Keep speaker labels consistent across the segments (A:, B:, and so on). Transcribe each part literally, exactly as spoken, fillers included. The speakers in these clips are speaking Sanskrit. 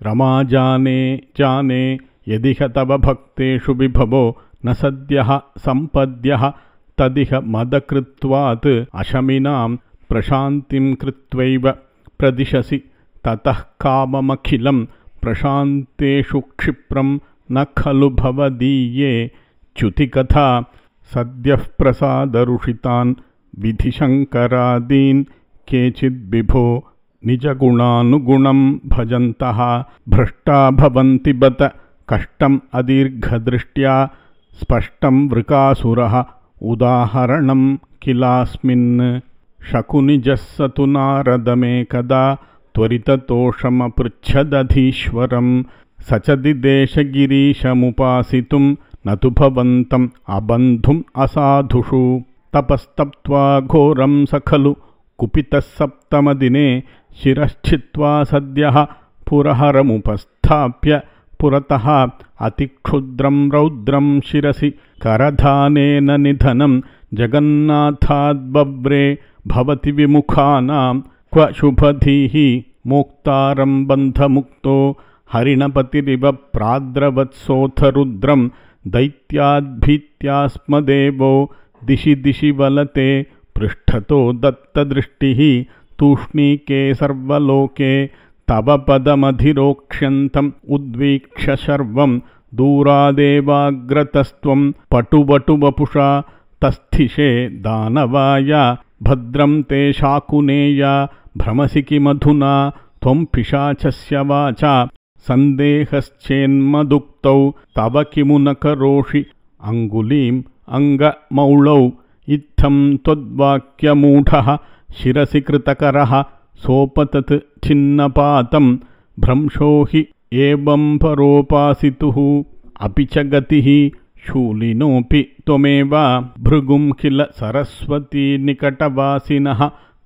A: रमा जाने जाने यदिह तव भक्तेषु विभवो न सद्यः सम्पद्यः तदिह मदकृत्वात् अशमिनां प्रशान्तिं कृत्वैव प्रदिशसि ततः काममखिलं प्रशान्तेषु क्षिप्रं न खलु भवदीये च्युतिकथा सद्यः प्रसादरुषितान् विधिशङ्करादीन् केचिद्विभो निजगुणानुगुणं भजन्तः भ्रष्टा भवन्ति बत कष्टम् अदीर्घदृष्ट्या स्पष्टं वृकासुरः उदाहरणं किलास्मिन् शकुनिजः स तु नारदमेकदा त्वरिततोषमपृच्छदधीश्वरं स च दिदेशगिरीशमुपासितुं न तु भवन्तम् अबन्धुम् असाधुषु तपस्तप्त्वा घोरं स खलु कुपितः सप्तमदिने शिरश्छित्त्वा सद्यः पुरहरमुपस्थाप्य पुरतः अतिक्षुद्रं रौद्रं शिरसि करधानेन निधनं जगन्नाथाद्बव्रे भवति विमुखानां क्व शुभधीः मोक्तारं बन्धमुक्तो हरिणपतिरिव प्राद्रवत्सोऽथ रुद्रं दैत्याद्भीत्यास्मदेवो दिशि दिशि वलते पृष्ठतो दत्तदृष्टिः तूष्णीके सर्वलोके तव पदमधिरोक्ष्यन्तम् उद्वीक्ष्य शर्वं दूरादेवाग्रतस्त्वं पटुवटुवपुषा तस्थिषे दानवाय भद्रं ते शाकुनेया भ्रमसि किमधुना त्वं पिशाचस्य वाचा सन्देहश्चेन्मदुक्तौ तव किमु न करोषि अङ्गुलीम् अङ्गमौळौ इत्थं त्वद्वाक्यमूढः शिरसि कृतकरः सोपतत् छिन्नपातं भ्रंशो हि एवं परोपासितुः अपि च गतिः शूलिनोऽपि त्वमेव भृगुं किल सरस्वती निकटवासिनः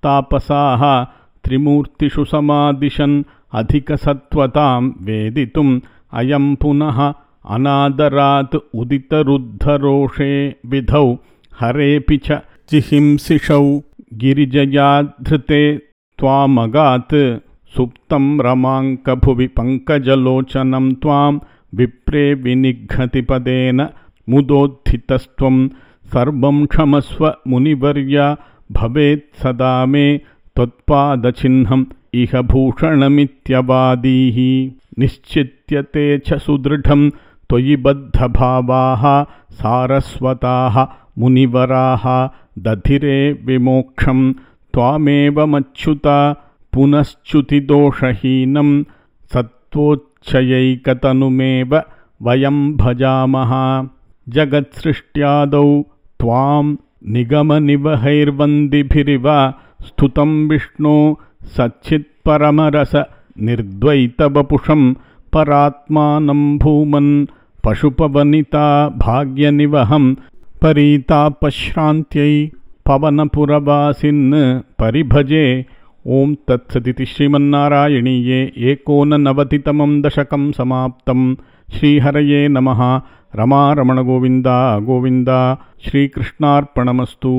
A: तापसाः त्रिमूर्तिषु समादिशन् अधिकसत्त्वतां वेदितुम् अयं पुनः अनादरात् उदितरुद्धरोषे विधौ हरेऽपि च जिहिंसिषौ गिरिजयाधृते त्वामगात् सुप्तं रमाङ्कभुवि पङ्कजलोचनं त्वां विप्रे विनिघ्नति पदेन मुदोत्थितस्त्वं सर्वं क्षमस्व मुनिवर्य भवेत् सदा मे त्वत्पादचिह्नम् इह भूषणमित्यवादीः निश्चित्यते च सुदृढं त्वयि बद्धभावाः सारस्वताः मुनिवराः दधिरे विमोक्षं त्वामेव मच्युता पुनश्च्युतिदोषहीनं सत्त्वोच्चयैकतनुमेव वयं भजामः जगत्सृष्ट्यादौ त्वां निगमनिवहैर्वन्दिभिरिव स्तुतं विष्णो सच्चित्परमरस निर्द्वैतवपुषं परात्मानं भूमन् पशुपवनिता भाग्यनिवहं परीतापश्रान्त्यै पवनपुरवासिन् परिभजे। ओं तत्सदिति श्रीमन्नारायणीये एकोननवतितमं दशकं समाप्तं। श्रीहरये नमः। रमा रमण गोविन्द गोविन्द। श्रीकृष्णार्पणमस्तु।